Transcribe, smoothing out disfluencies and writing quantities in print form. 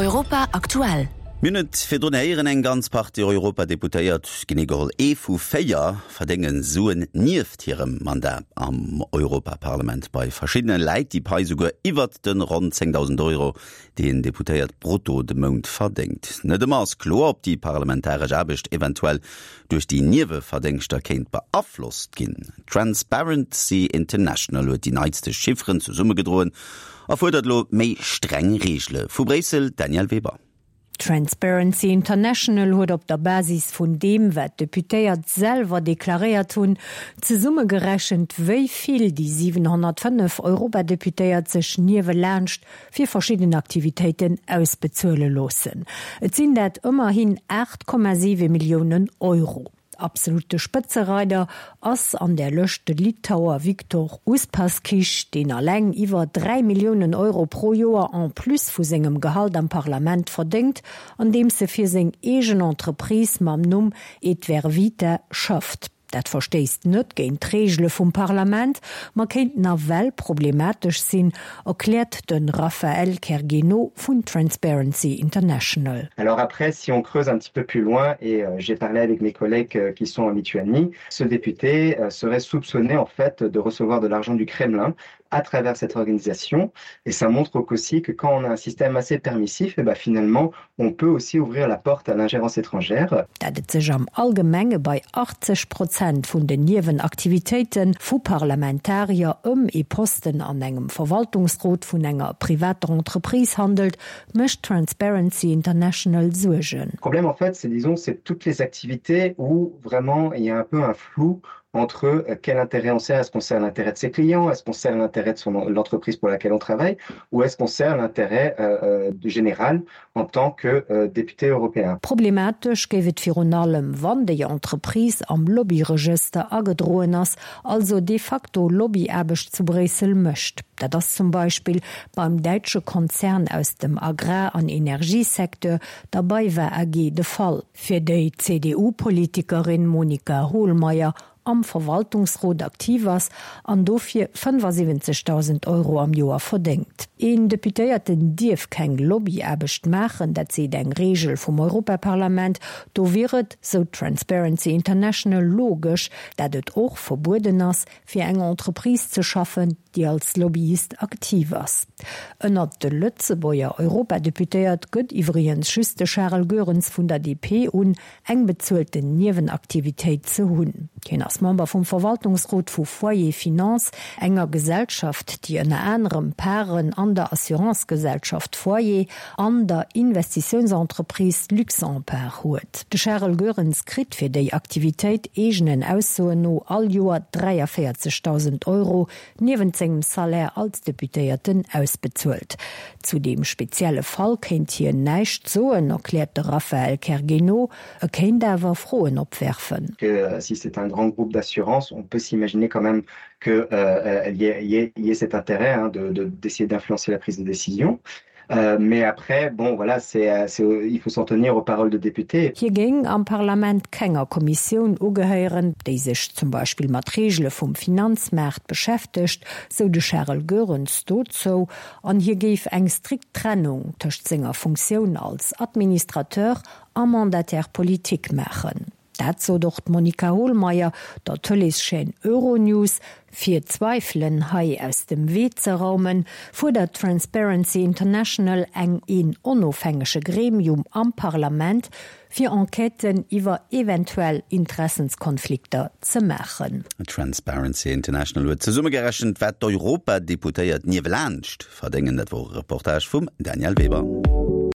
Europa aktuell. Mir hunn et virdrun héieren, eng ganz Partie Europadeputéiert, genee geholl ee vu 4, verdénge Suen nieft hirem Mandat am Europaparlament. Bei verschiddene läit déi Pai souguer iwwert de ronn 10.000 Euro, déi en Deputéiert brutto de Mount verdéngt. Net ëmmer ass kloer, ob déi parlamentaresch Aarbecht eventuell duerch déi Nieweverdéngschter kéint beaflosst ginn. Transparency International huet déi neitste Chifferen zesummegedroen a fuerdert elo méi streng Reegele vu Bréissel. Danièle Weber. Transparency International huet op der Basis vun deem, wat d'Deputéiert selwer deklaréiert hunn, zesummegerechent, wéi vill déi 705 Europadeputéiert sech niewelaanscht fir verschidden Aktivitéiten ausbezuele loossen. Et sinn dat ëmmerhin 8,7 Milliounen Euro. Absolutte Spëtzereider ass an där Lëscht de Litauer Viktor Uspaskich, deen alleng iwwer 3 Milliounen Euro pro Joer en plus vu sengem Gehalt am Parlament verdéngt, andeems e fir seng eegen Entreprise mam Numm Etvervita schafft. Dat verstéisst net géint d'Reegele vum Parlament, ma kéint nawell problematesch sinn, erkläert de Raphaël Kergueno vun Transparency International. Alors après, si on creuse un petit peu plus loin et j'ai parlé avec mes collègues qui sont en Lituanie, ce député serait soupçonné en fait de recevoir de l'argent du Kremlin à travers cette organisation et ça montre aussi que quand on a un système assez permissif, et eh ben finalement on peut aussi ouvrir la porte à l'ingérence étrangère. Dat et sech am Allgemenge bei 80 Prozent vun den Niewenaktivitéite vu Parlamentarier ëm ee Posten an engem Verwaltungsrot vun enger privater Entreprise handelt, mécht Transparency International Suergen. Problème en fait, c'est disons c'est toutes les activités où vraiment il y a un peu un flou entre euh, quel intérêt on sert, est-ce qu'on sert l'intérêt de ses clients, est-ce qu'on sert l'intérêt de son l'entreprise pour laquelle on travaille ou est-ce qu'on sert l'intérêt euh, euh général en tant que euh, député européen. Problematesch géif et virun allem, wann déi Entreprise am Lobbyregëster agedroen ass, also de facto Lobbyaarbecht zu Bréissel mécht. Dat ass zum Beispill beim däitsche Konzern aus dem Agrar an Energiesecteur, der BayWa AG, de Fall. Fir déi d'CDU-Politikerin Monika Hohlmeier am Verwaltungsrot aktiv ass an dofir 75.000 Euro am Joer verdéngt. Een Deputéierten dierf keng Lobbyaarbecht maachen, dat seet eng Reegel vum Europaparlament. Do wier et, sou Transparency International, logesch, dat et och verbueden ass, fir eng Entreprise ze schaffen, déi als Lobbyist aktiv ass. Ënnert de Lëtzebuerger Europadeputéiert gëtt iwwregens just de Charel Goerens vun der DP un, eng bezuelten Niewenaktivitéit ze hunn. Hien ass Member vum Verwaltungsrot vu Foyer Finance, enger Gesellschaft, déi ënner anerem Paren an der Assurancegesellschaft Foyer an der Investitiounsentreprise Luxempart huet. De Charel Goerens kritt fir déi Aktivitéit eegenen Aussoen no all Joer 43.000 Euro niewent sengem Salaire als Deputéierten ausbezuelt. Zu deem spezielle Fall kéint hien näischt soen, erkläert de Raphaël Kergueno. E kéint awer Froen opwerfen. Que si c'est un grand groupe d'assurance, on peut s'imaginer quand même que euh, y ait, y ait cet intérêt hein, de, de, d'essayer d'influencer la prise de décision. Euh, mais après, bon, voilà, c'est, euh, c'est, il faut s'en tenir aux paroles de députés. Hie géing am Parlament kenger Kommissioun ugehéieren, déi sech zum Beispill mat Reegele vum Finanzmaart beschäftegt, sou de Charel Goerens dozou, an hie géif eng strikt Trennung tëscht senger Funktioun als Administrateur a Mandataire politique maachen. Dat sot och d'Monika Hohlmeier der Tëleeschaîne Euronews. Fir d'Zweifelen hei aus dem Wee ze raumen, fuerdert Transparency International eng een onofhängege Gremium am Parlament, fir Enquêten iwwer eventuell Interessenskonflikter ze maachen. Transparency International huet zesummegerechent, wat d'Europadeputéiert niewelaanscht verdéngen. Dat wor e Reportage vum Danièle Weber.